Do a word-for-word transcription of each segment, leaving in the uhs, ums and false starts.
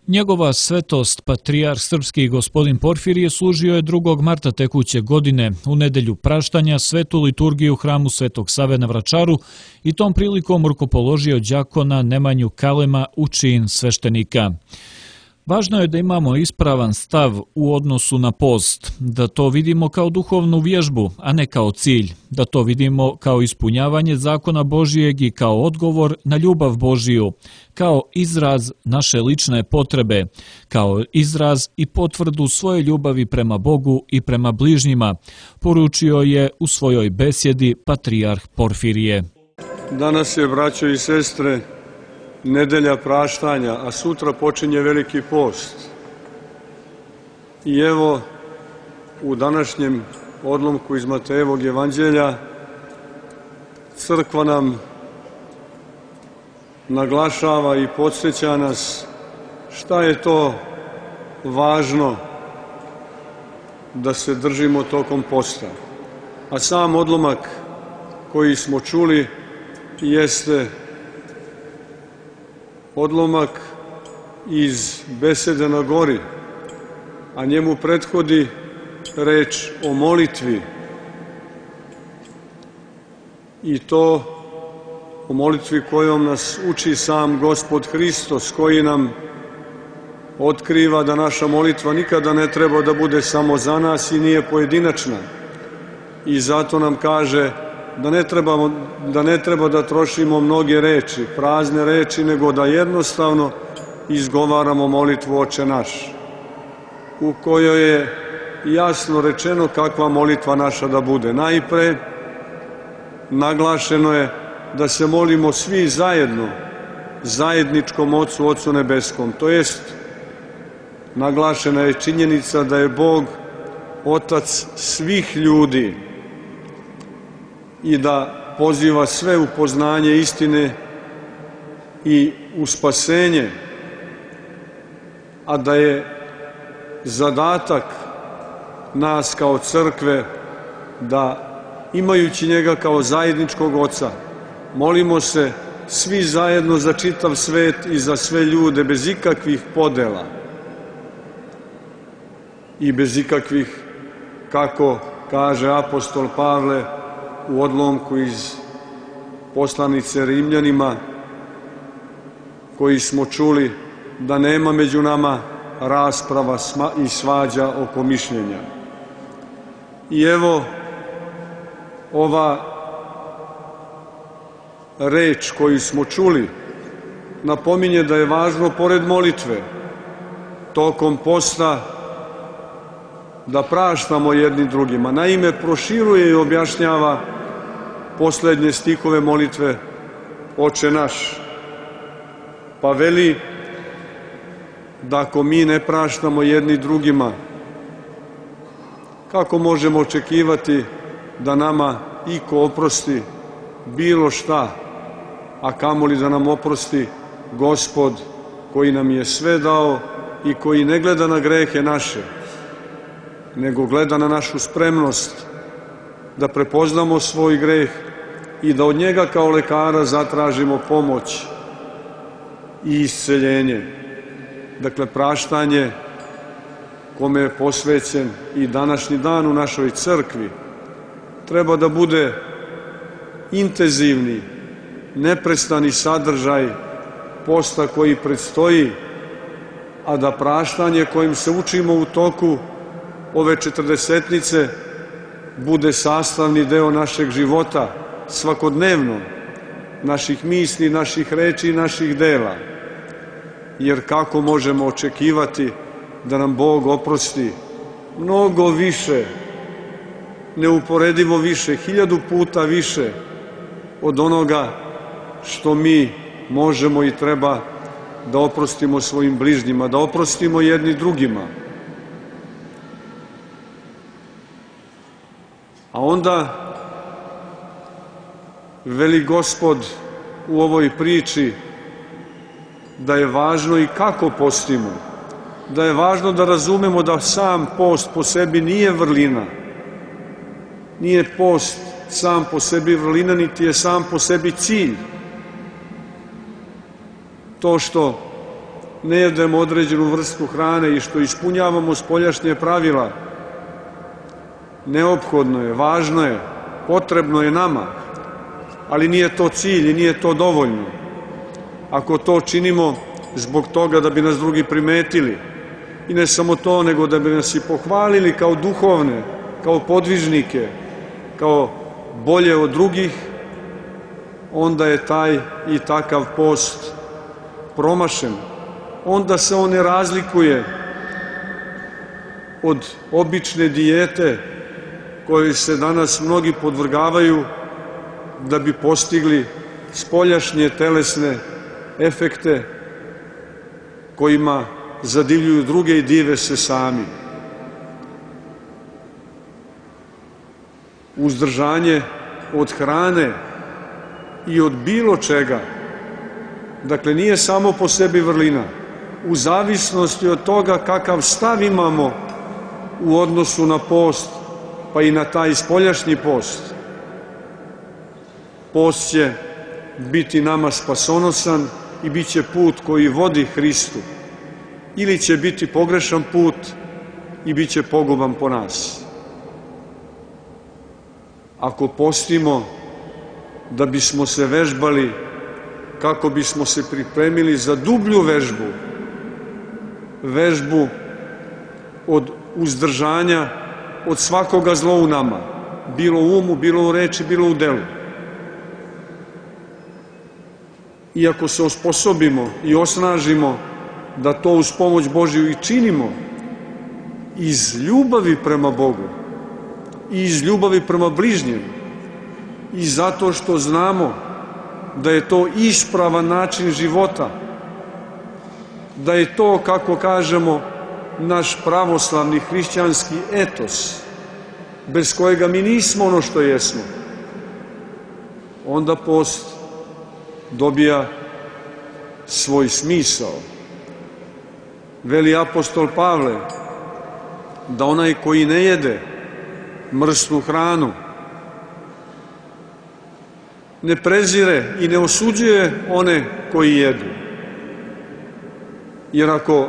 Njegova svetost, patrijarh srpski gospodin Porfirije, služio je drugog marta tekuće godine u nedelju praštanja svetu liturgiju u hramu Svetog Save na Vračaru i tom prilikom rukopoložio đakona Nemanju Kalema u čin sveštenika. Važno je da imamo ispravan stav u odnosu na post, da to vidimo kao duhovnu vježbu, a ne kao cilj, da to vidimo kao ispunjavanje zakona Božijeg i kao odgovor na ljubav Božiju, kao izraz naše lične potrebe, kao izraz i potvrdu svoje ljubavi prema Bogu i prema bližnjima, poručio je u svojoj besjedi patrijarh Porfirije. Danas je, braćo i sestre, nedelja praštanja, a sutra počinje Veliki post. I evo, u današnjem odlomku iz Matejevog evanđelja crkva nam naglašava i podsjeća nas šta je to važno da se držimo tokom posta. A sam odlomak koji smo čuli jeste odlomak iz besede na gori, a njemu prethodi reč o molitvi. I to o molitvi kojom nas uči sam Gospod Hristos, koji nam otkriva da naša molitva nikada ne treba da bude samo za nas i nije pojedinačna. I zato nam kaže da ne trebamo, da ne treba da trošimo mnoge reči, prazne reči, nego da jednostavno izgovaramo molitvu Oče naš, u kojoj je jasno rečeno kakva molitva naša da bude. Najpre naglašeno je da se molimo svi zajedno, zajedničkom Ocu, Ocu Nebeskom. To jest, naglašena je činjenica da je Bog Otac svih ljudi i da poziva sve u poznanje istine i u spasenje, a da je zadatak nas kao crkve da, imajući njega kao zajedničkog Oca, molimo se svi zajedno za čitav svet i za sve ljude, bez ikakvih podela i bez ikakvih, kako kaže apostol Pavle u odlomku iz poslanice Rimljanima, koji smo čuli, da nema među nama rasprava i svađa oko mišljenja. I evo, ova reč koju smo čuli napominje da je važno, pored molitve, tokom posta da praštamo jedni drugima. Naime, proširuje i objašnjava poslednje stihove molitve Oče naš, pa veli da ako mi ne praštamo jedni drugima, kako možemo očekivati da nama iko oprosti bilo šta, a kamoli da nam oprosti Gospod koji nam je sve dao i koji ne gleda na grehe naše, nego gleda na našu spremnost da prepoznamo svoj greh i da od njega kao lekara zatražimo pomoć i isceljenje. Dakle, praštanje kome je posvećen i današnji dan u našoj crkvi treba da bude intenzivni, neprestani sadržaj posta koji predstoji, a da praštanje kojim se učimo u toku ove četrdesetnice bude sastavni deo našeg života, svakodnevno, naših misli, naših reči i naših dela. Jer kako možemo očekivati da nam Bog oprosti mnogo više, neuporedivo više, hiljadu puta više od onoga što mi možemo i treba da oprostimo svojim bližnjima, da oprostimo jedni drugima. A onda veli Gospod u ovoj priči da je važno i kako postimo, da je važno da razumemo da sam post po sebi nije vrlina, nije post sam po sebi vrlina, niti je sam po sebi cilj. To što ne jedemo određenu vrstu hrane i što ispunjavamo spoljašnje pravila, neophodno je, važno je, potrebno je nama, ali nije to cilj i nije to dovoljno. Ako to činimo zbog toga da bi nas drugi primetili, i ne samo to, nego da bi nas i pohvalili kao duhovne, kao podvižnike, kao bolje od drugih, onda je taj i takav post promašen. Onda se on ne razlikuje od obične dijete kojoj se danas mnogi podvrgavaju da bi postigli spoljašnje telesne efekte kojima zadivljuju druge i dive se sami. Uzdržanje od hrane i od bilo čega, dakle, nije samo po sebi vrlina, u zavisnosti od toga kakav stav imamo u odnosu na post, pa i na taj spoljašnji post. Post će biti nama spasonosan i bit će put koji vodi Hristu, ili će biti pogrešan put i bit će poguban po nas. Ako postimo da bismo se vežbali, kako bismo se pripremili za dublju vežbu, vežbu od uzdržanja od svakoga zla u nama, bilo u umu, bilo u reči, bilo u delu. I ako se osposobimo i osnažimo da to uz pomoć Božju i činimo iz ljubavi prema Bogu i iz ljubavi prema bližnjem i zato što znamo da je to ispravan način života, da je to, kako kažemo, naš pravoslavni hrišćanski etos, bez kojega mi nismo ono što jesmo, onda post dobija svoj smisao. Veli apostol Pavle da onaj koji ne jede mrsnu hranu ne prezire i ne osuđuje one koji jedu. Jer ako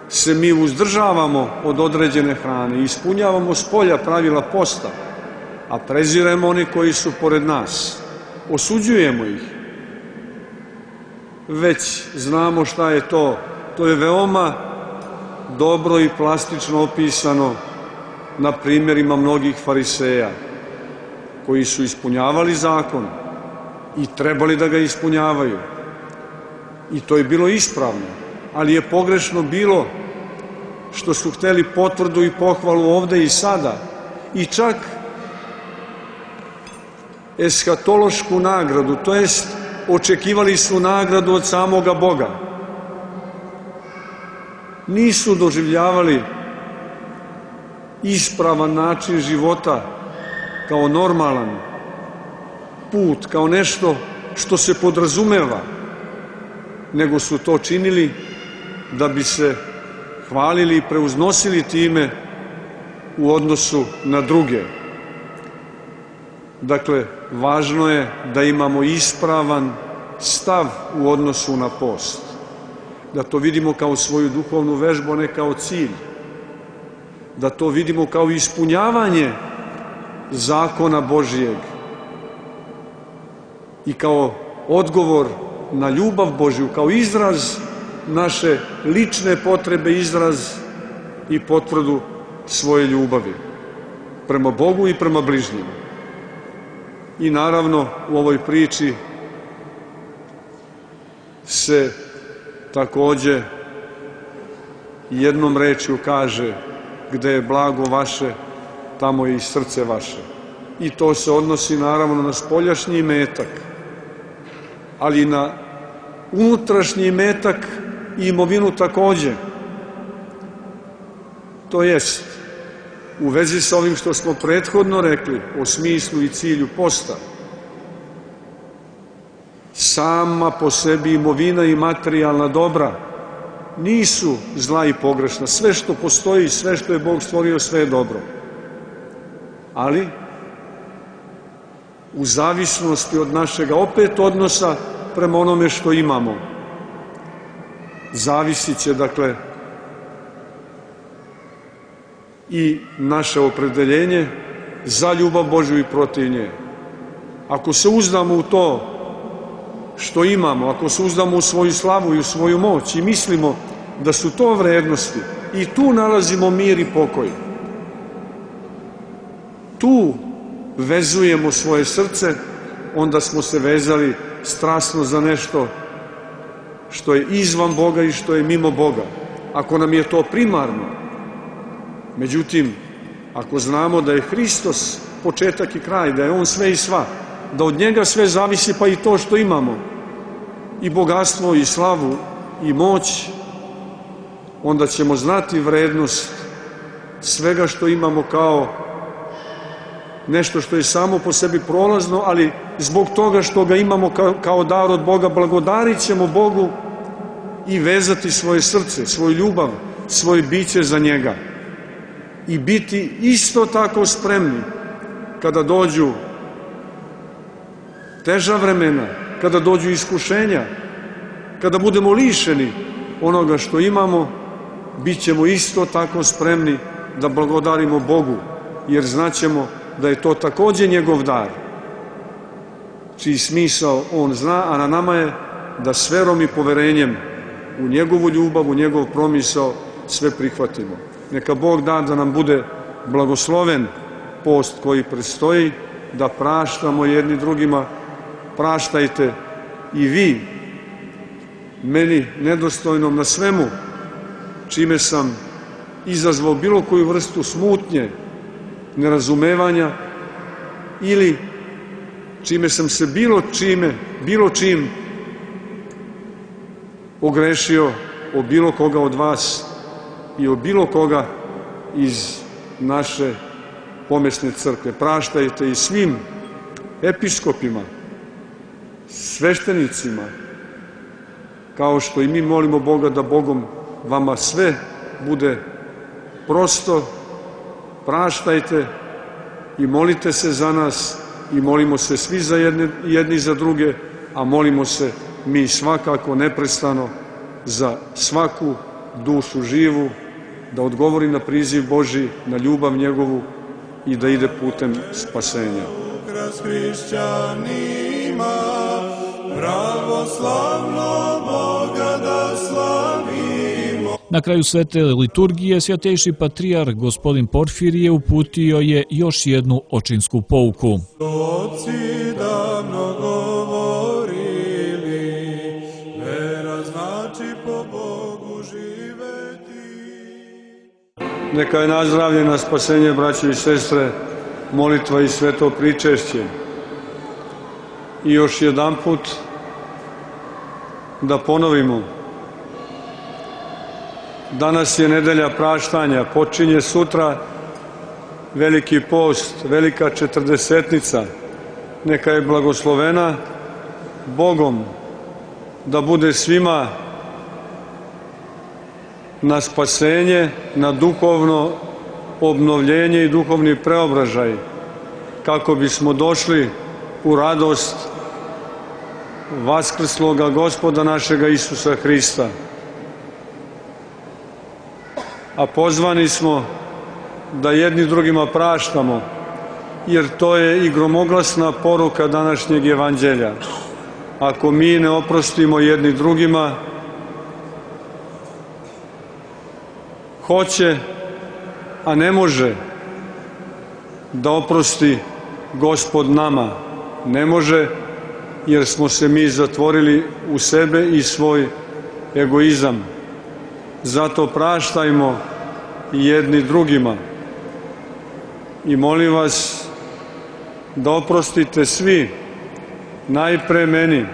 se mi uzdržavamo od određene hrane i ispunjavamo spolja pravila posta, a preziremo one koji su pored nas, osuđujemo ih, već znamo šta je to. To je veoma dobro i plastično opisano na primjerima mnogih fariseja koji su ispunjavali zakon i trebali da ga ispunjavaju. I to je bilo ispravno, ali je pogrešno bilo što su hteli potvrdu i pohvalu ovde i sada i čak eshatološku nagradu, to jest očekivali su nagradu od samoga Boga. Nisu doživljavali ispravan način života kao normalan put, kao nešto što se podrazumeva, nego su to činili da bi se hvalili i preuznosili time u odnosu na druge. Dakle, važno je da imamo ispravan stav u odnosu na post, da to vidimo kao svoju duhovnu vežbu, a ne kao cilj, da to vidimo kao ispunjavanje zakona Božijeg i kao odgovor na ljubav Božju, kao izraz naše lične potrebe, izraz i potvrdu svoje ljubavi prema Bogu i prema bližnjim. I naravno, u ovoj priči se takođe jednom rečju kaže: gde je blago vaše, tamo je i srce vaše. I to se odnosi naravno na spoljašnji imetak, ali i na unutrašnji imetak i imovinu takođe. To jest, u vezi sa ovim što smo prethodno rekli o smislu i cilju posta, sama po sebi imovina i materijalna dobra nisu zla i pogrešna. Sve što postoji, sve što je Bog stvorio, sve je dobro. Ali, u zavisnosti od našega opet odnosa prema onome što imamo. zavisit će, dakle, i naše opredeljenje za ljubav Božju i protiv nje. Ako se uzdamo u to što imamo, ako se uzdamo u svoju slavu i u svoju moć i mislimo da su to vrednosti, i tu nalazimo mir i pokoj. Tu vezujemo svoje srce, onda smo se vezali strasno za nešto što je izvan Boga i što je mimo Boga. Ako nam je to primarno. Međutim, ako znamo da je Hristos početak i kraj, da je On sve i sva, da od njega sve zavisi, pa i to što imamo, i bogatstvo, i slavu, i moć, onda ćemo znati vrednost svega što imamo kao nešto što je samo po sebi prolazno, ali zbog toga što ga imamo kao dar od Boga, blagodarit ćemo Bogu i vezati svoje srce, svoju ljubav, svoje biće za njega. I biti isto tako spremni kada dođu teža vremena, kada dođu iskušenja, kada budemo lišeni onoga što imamo, bit ćemo isto tako spremni da blagodarimo Bogu, jer znaćemo da je to takođe njegov dar, čiji smisao On zna, a na nama je da s verom i poverenjem u njegovu ljubav, u njegov promisao sve prihvatimo. Neka Bog da da nam bude blagosloven post koji predstoji, da praštamo jedni drugima, praštajte i vi meni nedostojnom na svemu čime sam izazvao bilo koju vrstu smutnje, nerazumevanja ili čime sam se bilo čime, bilo čim ogrešio o bilo koga od vas i o bilo koga iz naše pomesne crkve. Praštajte i svim episkopima, sveštenicima, kao što i mi molimo Boga da Bogom vama sve bude prosto. Praštajte i molite se za nas i molimo se svi za jedni, jedni za druge, a molimo se mi svakako neprestano za svaku dušu živu, da odgovori na priziv Božji, na ljubav njegovu i da ide putem spasenja. Ukras hrišćanima, pravoslavno Boga da slavimo. Na kraju svete liturgije svjatejši patrijarh gospodin Porfirije uputio je još jednu očinsku pouku. Oci davno govorili, vera znači po Bogu živeti. Neka je nazdravljena spasenje, braćo i sestre, molitva i sveto pričešće. I još jedan put da ponovimo. Danas je nedelja praštanja, počinje sutra veliki post, velika četrdesetnica. Neka je blagoslovena Bogom, da bude svima na spasenje, na duhovno obnovljenje i duhovni preobražaj, kako bismo došli u radost vaskrsloga Gospoda našega Isusa Hrista. A pozvani smo da jedni drugima praštamo, jer to je i gromoglasna poruka današnjeg evanđelja. Ako mi ne oprostimo jedni drugima, hoće, a ne može da oprosti Gospod nama. Ne može, jer smo se mi zatvorili u sebe i svoj egoizam. Zato praštajmo jedni drugima i molim vas da oprostite svi, najpre meni,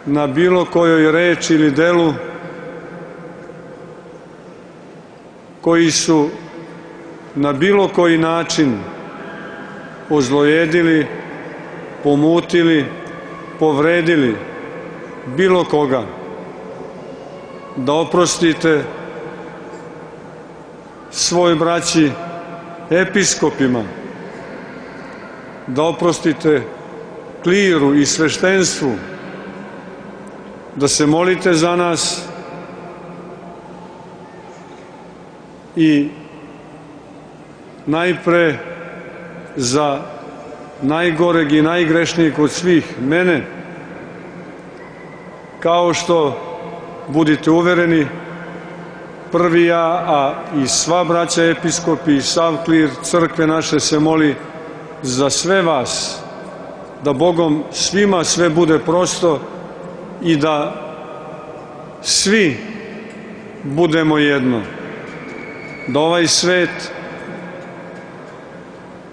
na bilo kojoj reči ili delu koji su na bilo koji način ozlojedili, pomutili, povredili bilo koga. Da oprostite svoj braći episkopima, da oprostite kliru i sveštenstvu, da se molite za nas i najpre za najgoreg i najgrešnijeg od svih, mene, kao što, budite uvereni, prvi ja, a i sva braća episkopi i sav klir crkve naše se moli za sve vas, da Bogom svima sve bude prosto i da svi budemo jedno, da ovaj svet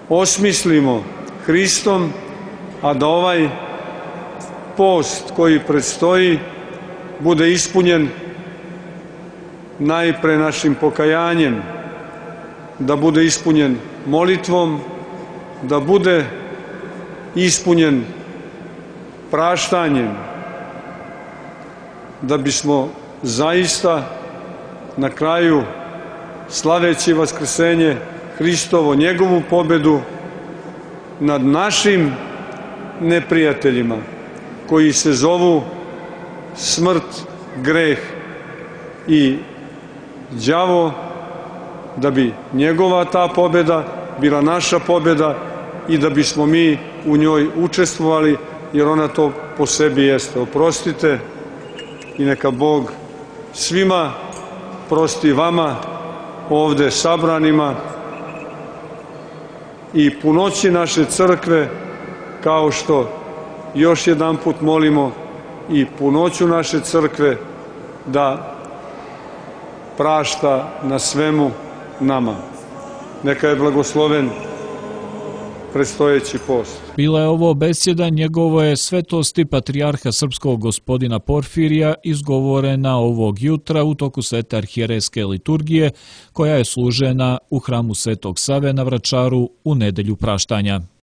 osmislimo Hristom, a da ovaj post koji predstoji bude ispunjen najpre našim pokajanjem, da bude ispunjen molitvom, da bude ispunjen praštanjem, da bismo zaista na kraju, slaveći vaskrsenje Hristovo, njegovu pobedu nad našim neprijateljima koji se zovu smrt, greh i đavo, da bi njegova ta pobeda bila naša pobeda i da bismo mi u njoj učestvovali, jer ona to po sebi jeste. Oprostite i neka Bog svima prosti, vama ovde sabranima i punoći naše crkve, kao što još jedan put molimo i punoću naše crkve da prašta na svemu nama. Neka je blagosloven predstojeći post. Bila je ovo besjeda njegove svetosti patrijarha srpskog gospodina Porfirija, izgovorena ovog jutra u toku svete arhijerejske liturgije, koja je služena u hramu Svetog Save na Vračaru u nedelju praštanja.